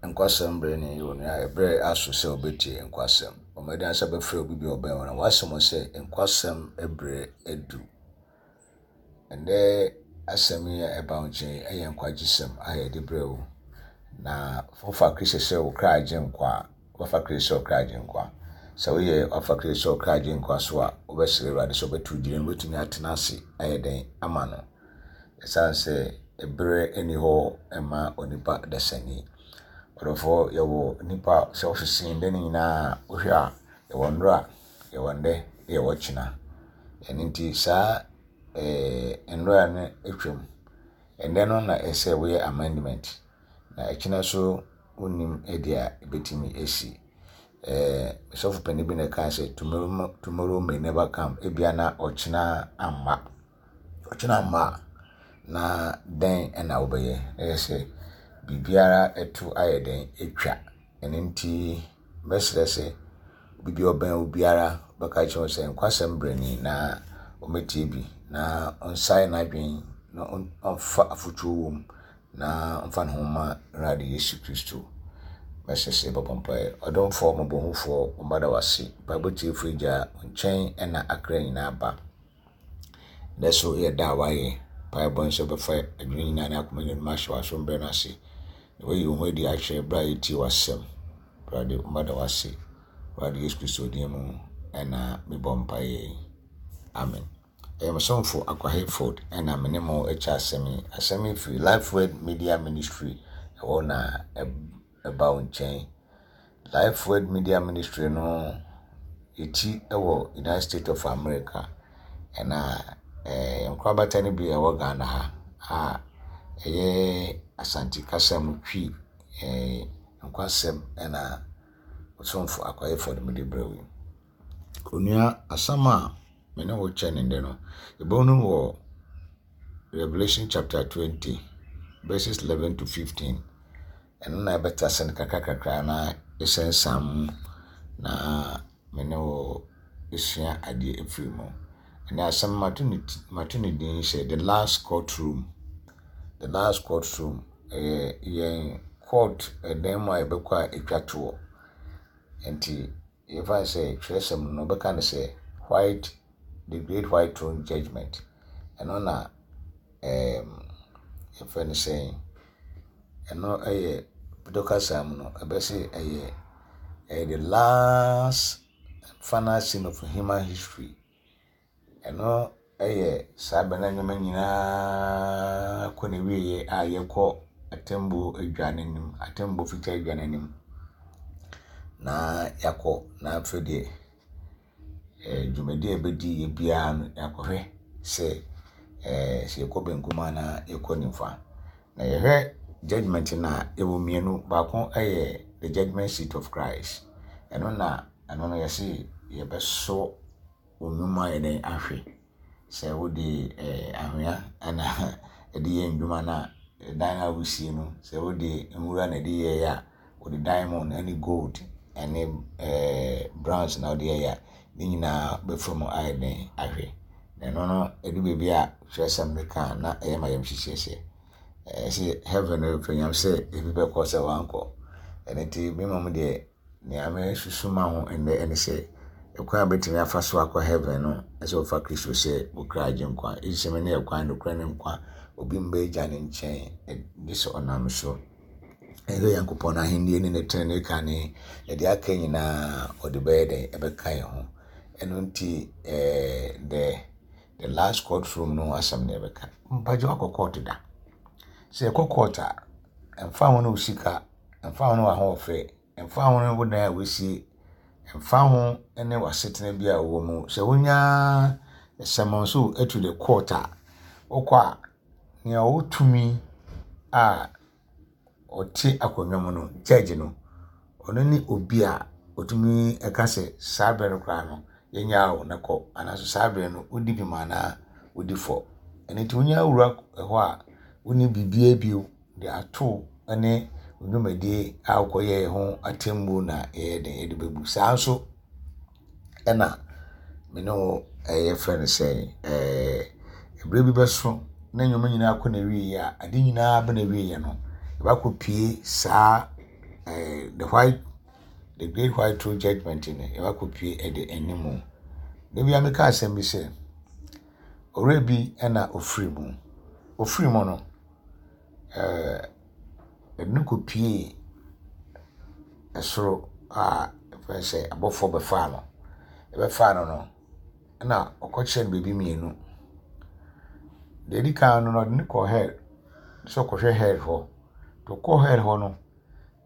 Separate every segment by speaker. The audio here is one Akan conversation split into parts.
Speaker 1: Nkwasɛm bere ni, onua. Ɛberɛ aso sɛ wobɛtie nkwasɛm. Bɔ mmɔden sɛ wobɛfrɛ obi bi a ɔbɛn wo na woasɛm sɛ nkwasɛm berɛ adu. Ɛnnɛ asɛm yi a ɛba wo nkyɛn yi yɛ nkwagyesɛm a yɛde brɛ wo. Na wofa Kristo sɛ wo kra agyenkwa a, wobɛfa Kristo sɛ wo kra agyenkwa. Sɛ woyɛ wafa Kristo sɛ wo kra agyenkwa so a, wobɛsrɛ Awurade sɛ ɔbɛto wo gyina mu, wobɛtumi atena ase ayɛ dɛn ama no. Ɛsiane sɛ ɛberɛ nni hɔ mma onipa dasani. Ɔdɔfoɔ, yɛwɔ nnipa a sɛ wosese ndɛ no nyinaa a, wohwɛ a, yɛwɔ nnora, yɛwɔ ndɛ, na yɛwɔ kyena. Ɛno nti saa ɛɛ nnora no atwam. Ɛnnɛ no na ɛsɛ woyɛ amendment, na ɛkyena nso wonnim deɛ a ɛbɛtumi asi. Ɛɛ sɔfo panin bi na ɛkaa sɛ tomorrow, tomorrow may never come. Ebia na ɔkyena amma. Ɔkyena mma a, na dɛn na wobɛyɛ? Na ɛyɛ sɛ biribiara to ayɛ dɛn atwa. Ɛno nti, mɛsrɛ sɛ obi bi a ɔbɛn wo biara bɛka akyerɛ wo sɛ nkwasɛm berɛ ni na ɔmmɛtie bi na ɔnsae n'adwene na ɔmfa afotuo wɔ mu na ɔmfa ne ho mma Awurade Yesu Kristo. Mɛsrɛ sɛ yɛbɛbɔ mpaeɛ. Ɔdomfoɔ, mmɔborɔhufoɔ, wo mma da wo ase. Mpaebɔ tiefoɔ Agya, wo nkyɛn na akra nyinaa ba. Nnɛ so yɛ da a wɔayɛ. Mpaebɔ ne sɛ wobɛfa adwene nyinaa ne akoma nyinaa mu ahyɛ w'asom berɛ no ase, na woayi wo ho adi akyerɛ berɛ a yɛtie w'asɛm. Awurade, mma da w'ase. Awurade Yesu Kristo din mu ɛna mebɔ mpaeɛ yi. Amen. Ɛyɛ me somfo Akwa Hayford ɛna me ne mo kyɛ asɛm yi. Asɛm yi firi Life Word Media Ministry ɛhɔ na ɛba wo nkyɛn. Life Word Media Ministry no, yɛti wɔ United States of America. Ɛna eh, nkorabata no bi ɛwɔ Ghana ha a ɛyɛ Asante kasa mu Twi eh, nkwasɛm ɛna Ɔsomfo Akwayefoɔ de mede brɛ wo yi. Onua, asɛm a me ne wo kyɛ ne ndɛ no, yɛbɛhunu wɔ Revelation chapter 20 verses 11 to 15. Ɛno na ɛbɛtase no kakrakakra na ɛsɛnsam mu na me ne wo sua adeɛ afiri mu. Ɛnɛ asɛm mato ne ti mato ne din sɛ the last courtroom. The last courtroom ɛyɛ yɛn court ɛdan mu a yɛbɛkɔ a ɛtwa toɔ. Nti yɛfa no sɛ twerɛsɛm no wɔbɛka no sɛ white the great white throne judgement. Ɛno na ɛɛm yɛfrɛ no sɛn ɛno yɛ Pidgin kasa mu no ɛbɛse ɛyɛ ɛyɛ the last final scene of human history. Ɛno yɛ saa berɛ na nneɛma nyinaa kɔ n'awieeɛ a yɛkɔ atemmuo adwa no anim, atemmuo fitaa adwa no anim na yɛakɔ na afei deɛ dwumadie a yɛbɛdi yɛ biara no yɛakɔhwɛ sɛ sɛ yɛkɔ benkum anaa yɛkɔ nifa. Na yɛhwɛ judgement no a, ɛwɔ mmienu. Baako yɛ the judgement seat of Christ. Ɛno na ɛno no yɛse yɛbɛsɔ wo nnwuma ayɛ dɛn ahwɛ. Sɛ wode anhwea na ɛde yɛ ndwuma no a, dan a wosie no, sɛ wode nwura na ɛde yɛeɛ a, wode diamond ne gold ne bronze na wode yɛeɛ a, ne nyinaa bɛfa mu ayɛ dɛn ahwɛ. Na ɛno no, ɛdu baabi a twerɛsɛm no ka a, na ɛyɛ ma yɛm hyehyeɛ sɛ ɛsɛ heaven no pɛ nyam sɛ ebi bɛkɔ sɛ wankɔ. Ɛno nti me mmom deɛ Nea meresusu ma ho nnɛ ne sɛ, ɛkwan a wobɛtumi afa so akɔ heaven no, ɛsɛ wofa Kristo sɛ wo kra agyenkwa. Yesu sɛ, Mene ɛkwan, nokorɛ ne nkwa. Obi mma Agya no nkyɛn gye sɛ ɔnam me so. Ɛsɛ Nyankopɔn ahennie ne ne tenenee kane, na deɛ aka nyinaa ɔde bɛyɛ dɛn? Ɛbɛka yɛn ho. Ɛno nti, eh, the, the last courtroom no ho asɛm na yɛbɛka. Mpagye wakɔ court da. Sɛ yɛkɔ court a, ɛmfa ho ne wo sika, ɛmfa ho ne w'ahoɔfɛ, ɛmfa ho ne wo dan a woasie, ɛmfa ho ne w'asetena bi a wowɔ mu, sɛ wonya summons wo to the court a, wokɔ a, nea ɔwɔ tumi a ɔte akonnwa mu no, judge no, ɔno ne obi a ɔtumi ka sɛ saa berɛ no koraa no, yɛnyaa wo na kɔ, anaasɛ saa berɛ no wodi bem anaa wodi fɔ. Ɛno nti wonya wura hɔ a, wonni biribiara bio de ato ne wo dwumadie a wokɔyɛɛ ho atemmuo na yɛyɛ den yɛde bɛbu. Saa nso ɛna me ne wo ɛyɛ frɛ no sɛ ɛɛ berɛ bi bɛso na nneɛma nyinaa kɔ n'awieeɛ a ade nyinaa bɛ n'awieeɛ no yɛbɛakɔpie saa. eh, the white the great white throne judgment no yɛbɛakɔpue ɛde anim. Da bi a meka asɛm bi sɛ ɔwerɛ bi na ɔfiri mu. Ɔfiri mu no, eh, ɛde no kɔpuee ɛsoro a ɛfrɛ sɛ abɔfoɔ bɛfaa no. Ɛbɛfaa no no, ɛna ɔkɔkyerɛɛ no baabi mmienu. Deɛ ɛdi kan no, ɔde no kɔɔ hell sɛ ɔkɔhwɛ hell hɔ. Nti ɔkɔɔ hell hɔ no,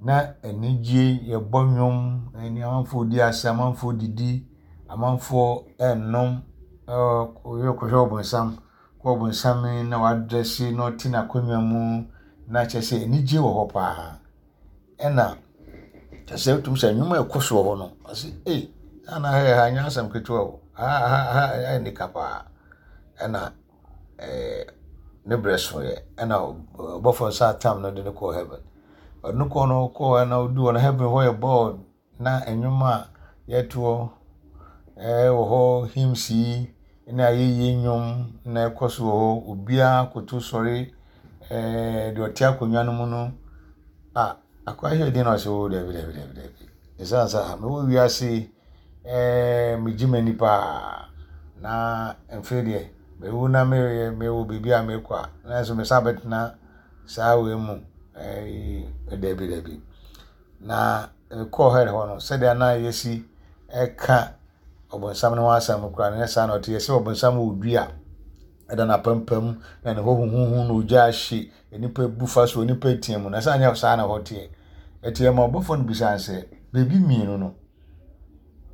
Speaker 1: na anigye, yɛbɔ nnwom, ɛne amanfoɔ redi asa, amanfoɔ redidi, amanfoɔ renom, ɛɛ kɔhwɛ ɔbonsam. Kɔ ɔbonsam yi na wadrɛse na ɔte n'akonnwa mu na kyerɛ sɛ anigye wɔ hɔ paa. Ɛna kyerɛ sɛ wotumi sɛ nnwuma a ɛkɔ so wɔ hɔ no, ɔse ei, saa na ha yɛ ha nyɛ asɛm ketewa o, ha ha ha ɛyɛ nika paa. Ɛna ɛɛ ne berɛ soeɛ, ɛna ɔbɔfoɔ nsa atam no de no kɔɔ heaven. Ɔde no kɔɔ no kɔɔ hɔ na ɔduu hɔ no heaven hɔ yɛ bɔɔ na nnwom a yɛtoɔ ɛɛ wɔ hɔ hymns yi ne ayɛyie nnwom na ɛkɔ so wɔ hɔ. Obiara koto sɔre ɛɛ deɛ ɔte akonnwa no mu no a akoa hwɛ din na ɔsɛ o dabi dabi dabi dabi. Ɛsiane sɛ ah mewɔ wiase yi ɛɛ megye m'ani paa na mfei deɛ mewu na meyɛ mewɔ baabi a mekɔ a nanso mesan bɛtena saa wei mu ɛɛ dabi dabi. Na mekɔɔ hell hɔ no sɛdeɛ na yɛsi ɛka ɔbonsam no ho asɛm koraa no nyɛ saa na ɔte. Yɛsɛ ɔbonsam wɔ dua ɛda n'apampam na ne hɔ huhuhu na ogya ahye nnipa bu fa so nnipa tia mu na sɛ anyɛ saa na hɔ teɛ. Ɛti ɛma ɔbɔfoɔ no bisaa sɛ baabi mmienu no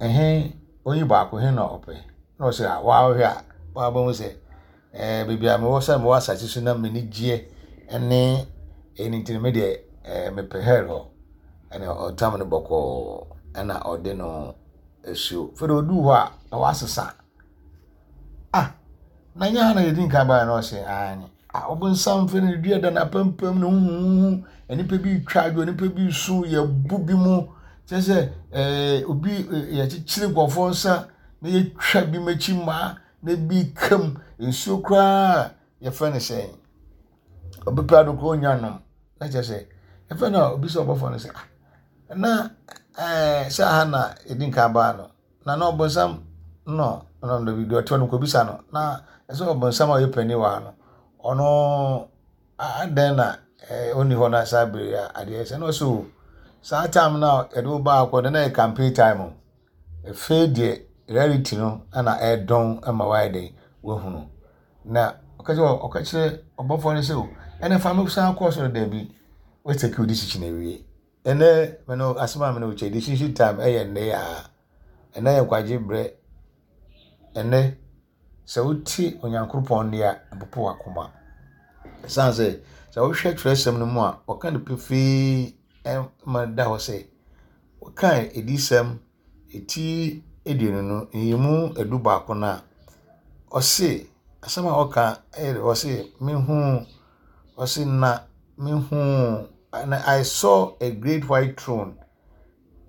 Speaker 1: ɛhe oyi baako he na ɔpɛ na ɔsɛ a wɔahwɛ a wɔabɛhu sɛ ɛɛ baabi a mewɔ sɛ mewɔ asase so na m'ani gyeɛ ne ɛyi no nti no me deɛ ɛɛ mepɛ hell hɔ ɛna ɔtam no bɔkɔɔ ɛna ɔde no asuo fɛde ɔduu hɔ a na wasesa ah na nyɛ ha na yɛdi nkan baeɛ na ɔsɛ aane ah ɔbonsam fɛ no dua da n'apampam na huhuhu nnipa bi retwa adwo nnipa bi resu yɛbu bi mu kyerɛ sɛ ɛɛ obi yɛkyekyere nkurɔfoɔ nsa na yɛtwa bi mu akyi mmaa na ebi ka mu nsuo koraa yɛfrɛ no sɛn obi pɛ ado koraa onya nom na kyerɛ sɛ ɛfɛ na obi sɛ ɔbɔfoɔ no sɛ ah na ɛɛ sɛ aha na yɛdi nkan baa no na na ɔbɔnsam no no no deɛ ɔte hɔ no kɔbisa no na ɛsɛ ɔbɔnsam a ɔyɛ panin wɔ ha no ɔno adɛn na ɛɛ ɔnni hɔ na saa bere a adeɛ sɛ na ɔsɛ o saa time no a yɛde wo baa kɔ no na yɛ campaign time o Afei deɛ reality no na ɛredɔn ma wayɛ dɛn wahunu. Na ɔka kyerɛ ɔka kyerɛ ɔbɔfoɔ no sɛ o ɛnna fa me san kɔ soro daabi woatake wo decision awie. Ɛnɛ me no asɛm a me ne wo kyɛ decision time ɛyɛ nnɛ yi ara. Ɛnɛ yɛ nkwagye berɛ. Ɛnɛ sɛ wote Onyankopɔn nne a ɛpopo w'akoma. Ɛsiane sɛ sɛ wohwɛ twerɛsɛm no mu a ɔka no pefee ma da hɔ sɛ Wokae Adiyisɛm ti aduonu no, nyiyimu 11 no a, ɔse, asɛm a ɔka yɛ dɛ, ɔse, mehuu, ɔse na mehuu, and I saw a great white throne,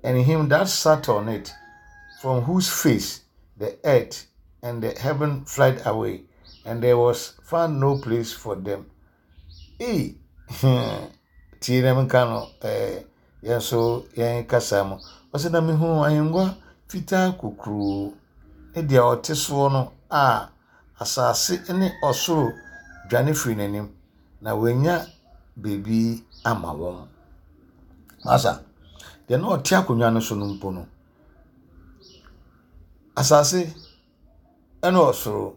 Speaker 1: and him that sat on it, from whose face the earth and the heaven fled away, and there was found no place for them. Ei, hmm, tie na menka no, eh, yɛn nso yɛn kasa mu. Ɔsɛ na mehuu ahengua fitaa kokuroo ne deɛ ɔte soɔ no a asase ne ɔsoro dwane firi n'anim, na wɔanya baabi ama wɔn. Masa, deɛ na ɔte akonnwa no so no mpo no, asase ɛne ɔsoro,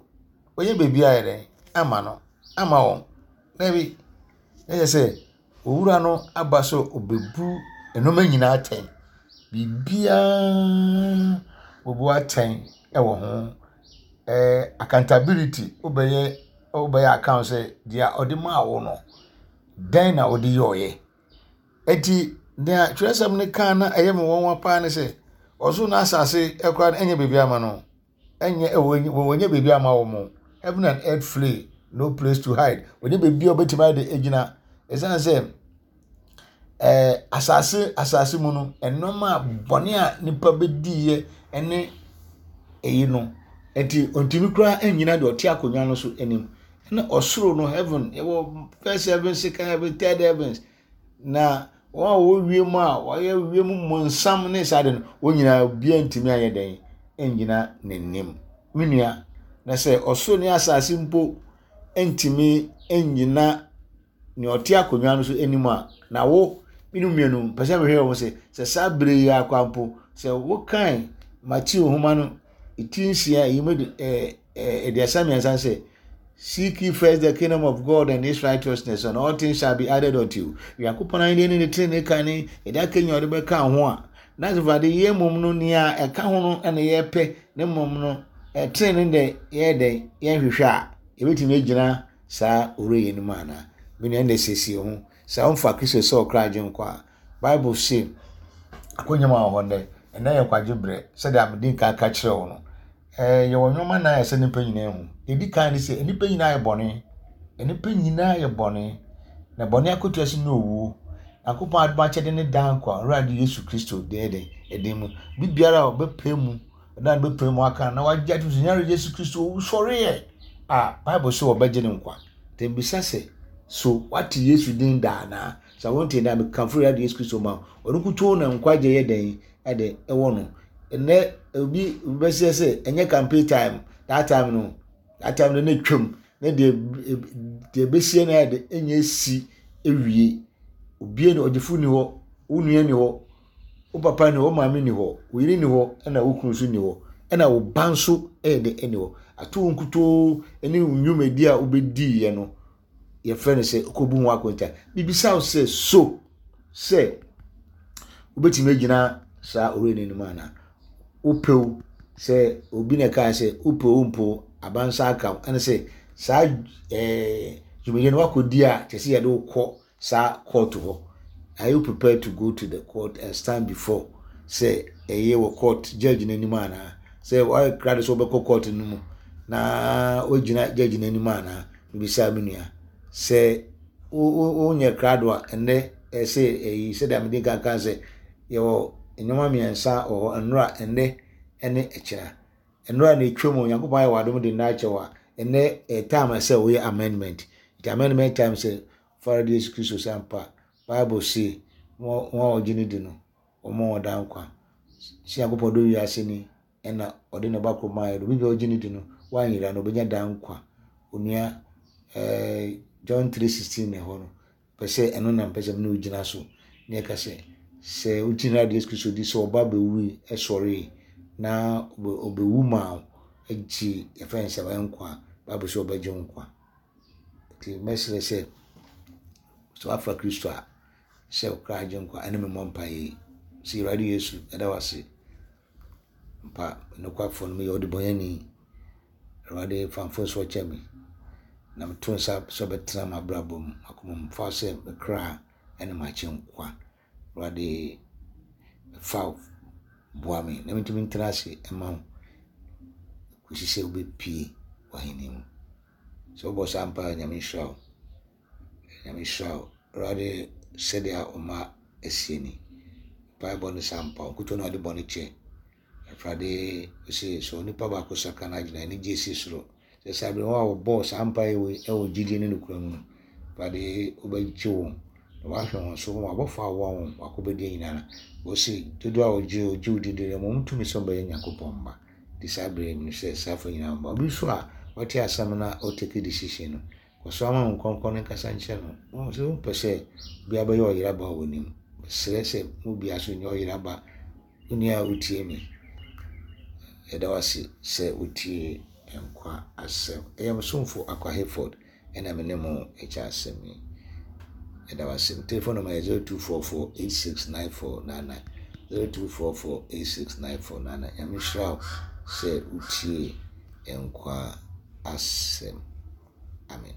Speaker 1: wɔnyɛ baabi ayɛ dɛn ama no, ama wɔn. Dabi, na kyerɛ sɛ owura no aba sɛ ɔbɛbu nneɛma nyinaa atɛn. Biribiara ɔbu atɛn wɔ ho. Ɛɛ accountability, wobɛyɛ wobɛyɛ account sɛ deɛ ɔde maa wo no, dɛn na wode yɔeɛ? Enti nea twerɛsɛm no kaa na ɛyɛ me nwanwa paa ne sɛ, ɔsoro ne asase koraa no ɛnyɛ baabi ama no. Ɛnyɛ wɔnyɛ baabi ama wɔn. Heaven and earth flee, no place to hide. Wɔnyɛ baabi a wɔbɛtumi ayɛ de agyina. Ɛsiane sɛ ɛɛ asase asase mu no, nneɛma a bɔne a nipa bɛdiiɛ ne ɛyi no, nti ɔntumi koraa nnyina deɛ ɔte akonnwa no so anim. Ɛna ɔsoro no heaven, yɛwɔ first heaven, second heaven, third heavens. Na Wɔn a wɔwɔ wiem a wɔyɛ wiem mmonsam ne saa de no, wɔn nyinaa obiara ntumi anyɛ dɛn nnyina n'anim. Me nua, na sɛ ɔsoro ne asase mpo ntumi nnyina nea ɔte akonnwa no so anim a, na wo, me no mmienu, pɛ sɛ mehwɛ wɔn sɛ, sɛ saa bere yi ara koraa mpo, sɛ wokan Mateo nhoma no ti nsia, yi mu 33 sɛ, Seek ye first the kingdom of God and his righteousness, and all things shall be added unto you. Nyankopɔn ahenni ne ne trenee kan ne yɛde aka nyina ɔde bɛka ho a, na sɛ fade yɛ mmom no nea ɛka ho no na yɛpɛ, ne mmom no trenee dɛ yɛyɛ dɛn yɛnhwehwɛ a, yɛbɛtumi agyina saa owura yi anim anaa? Me nua ɛnna siesie ho. Sɛ womfa Kristo sɛ ɔkra agyenkwa a, Bible se akwannya ma wɔ hɔ nnɛ. Ɛnnɛ yɛ nkwagye berɛ sɛdeɛ mede nkan ka kyerɛ wo no. Ɛɛ yɛwɔ nneɛma nan a ɛsɛ nnipa nyinaa hu. Deɛ ɛdi kan ne sɛ nnipa nyinaa yɛ bɔne. Nnipa nyinaa yɛ bɔne. Na bɔne akatua so ne owuo. Nyankopɔn adom akyɛde ne daa nkwa Awurade Yesu Kristo deɛ ɛdɛn ɛden mu. Biribiara a ɔbɛpɛ mu na bɛpɛ mu aka na wagye atom sɛ Awurade Yesu Kristo owusɔreɛ a Bible sɛ wɔbɛgye ne nkwa. Nti mbisa sɛ so wate Yesu din da anaa? Sɛ wonte da mekamfo Awurade Yesu Kristo ma wo. Ɔno nkutoo na nkwagye yɛ dɛn ɛde ɛwɔ no. Ɛnɛ obi bɛsɛ sɛ ɛnyɛ campaign time that time no that time no na etwam na deɛ deɛ ɛbɛsie no ayɛ de ɛnyɛ si ewie. Obie no ɔgyefo ni hɔ, wo nua ni hɔ, wo papa ni hɔ, wo maame ni hɔ, wo yere ni hɔ, ɛna wo kunu nso ni hɔ, ɛna wo ba nso ɛyɛ de ɛni hɔ. Ato wo nkutoo ne wo nnwumadi a wobɛdiiɛ no yɛfrɛ no sɛ kɔbu ho akonta. Mebisa wo sɛ so sɛ wobɛtumi agyina saa owura no anim anaa? Wopɛw sɛ obi na ɛkaa sɛ wopɛw mpo abansa aka wo ɛne sɛ saa ɛɛ dwumadie no wakɔdi a kyerɛ sɛ yɛde wo kɔ saa court hɔ. Are you prepared to go to the court and stand before sɛ ɛyɛ wɔ court judge no anim anaa? Sɛ wayɛ krado sɛ wobɛkɔ court no mu na woagyina judge no anim anaa? Mebisa me nua sɛ wonyɛ krado a ɛnnɛ ɛsɛ ɛyi sɛdeɛ mede nkan kan sɛ yɛwɔ nneɛma mmiɛnsa wɔ hɔ nnora ɛnnɛ ɛne ɛkyena. Nnora na ɛtwa mu Onyankopɔn ayɛ w'adom de nna akyɛ wo a ɛnnɛ ɛyɛ time sɛ woyɛ amendment. Nti amendment time sɛ Fa Awurade Yesu Kristo sɛ ampa. Bible se, wɔn a wɔgye no di no, wɔma wɔn daa nkwa. Sɛ Nyankopɔn dɔ wiase ni, ɛna ɔde ne ba koro maa yɛ no, obi biara ɔgye no di no, wanyera no, obenya daa nkwa. Onua, eh, John 3:16 na ɛhɔ no, pɛ sɛ ɛno na mpɛ sɛ mene wogyina so na ɛka sɛ, sɛ wogye Awurade Yesu Kristo di sɛ ɔba bɛwui, ɛsɔree, na ɔbɛwu maa wo, agye yɛfrɛ no sɛ nkwa, Bible sɛ ɔbɛgye wo nkwa. Nti mɛsrɛ sɛ, sɛ woafa Kristo a, sɛ wo kra agyenkwa, ɛne me mmɔ mpaeɛ yi. Sɛ Awurade Yesu, ɛda wo ase. Mpa, nokwafoɔ no meyɛ ɔdebɔnyɛni. Awurade fa mfomsoɔ kyɛ me. Na meto nsa sɛ ɔbɛtena m'abrabɔ mu, m'akoma mu. Fa sɛ me kra ne m'agyenkwa. Awurade fa wo boa me na mentumi ntena ase mma wo kɔsi sɛ wobɛpue w'ahenni mu. Sɛ wobɔ saa mpaeɛ a, Nyame nhyira wo. Nyame nhyira wo. Awurade sɛdeɛ wo mma asie ni. Mpaebɔ ne saa mpa wo nkutoo na wode bɔne kyɛ. Awurade ose sɛ onipa baako sakra n'adwene a, anigye si soro. Sɛ saa bere wɔn a wɔbɔɔ saa mpaeɛ wei wɔ gyidie ne nokorɛ mu no, Awurade wobɛgye wɔn na wahwɛ wɔn so, wɔn abɔfo a wɔwɔ wɔn wakɔbɛdie nyinaa. Wɔse dodoɔ a wɔgye wɔgye wo di deɛ wɔn tumi sɛ wɔbɛyɛ Nyankopɔn mma. Nti saa bere yi menim sɛ saafo nyinaa mma. Obi nso a wate asɛm na ɔtake decision no, kɔ so ama wo nkɔnkɔn no nkasa nkyerɛ no. Wɔn sɛ wompɛ sɛ obiara bɛyɛ ɔyeraba wɔ w'anim. Mesrɛ sɛ mo biara so nyɛ ɔyeraba. Onua a wotie me, yɛda wo ase sɛ wotie nkwa asɛm. Ɛyɛ mo somfo Akwa Hayford ɛna me ne mo ɛkyɛ asɛm yi. Yɛda wo ase. Telephone number yɛ 0244 869499. 0244 869499. Nyame nhyira wo sɛ wotie nkwa asɛm. Amen.